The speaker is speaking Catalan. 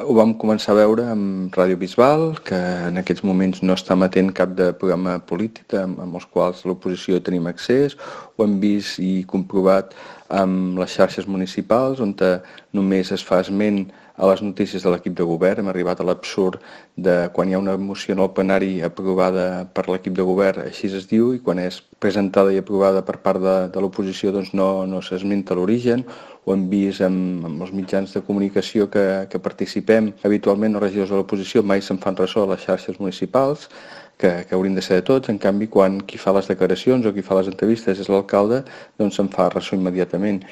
Ho vam començar a veure amb Ràdio Bisbal, que en aquests moments no està emetent cap de programa polític amb els quals l'oposició tenim accés. Ho hem vist i comprovat amb les xarxes municipals, on només es fa esment a les notícies de l'equip de govern. Hem arribat a l'absurd de quan hi ha una moció en el plenari aprovada per l'equip de govern, així es diu, i quan és presentada i aprovada per part de l'oposició doncs no s'esmenta l'origen. Ho hem vist amb els mitjans de comunicació que participem habitualment, els regidors de l'oposició mai se'n fan ressò a les xarxes municipals, que haurien de ser de tots. En canvi, quan qui fa les declaracions o qui fa les entrevistes és l'alcalde, doncs se'n fa ressò immediatament.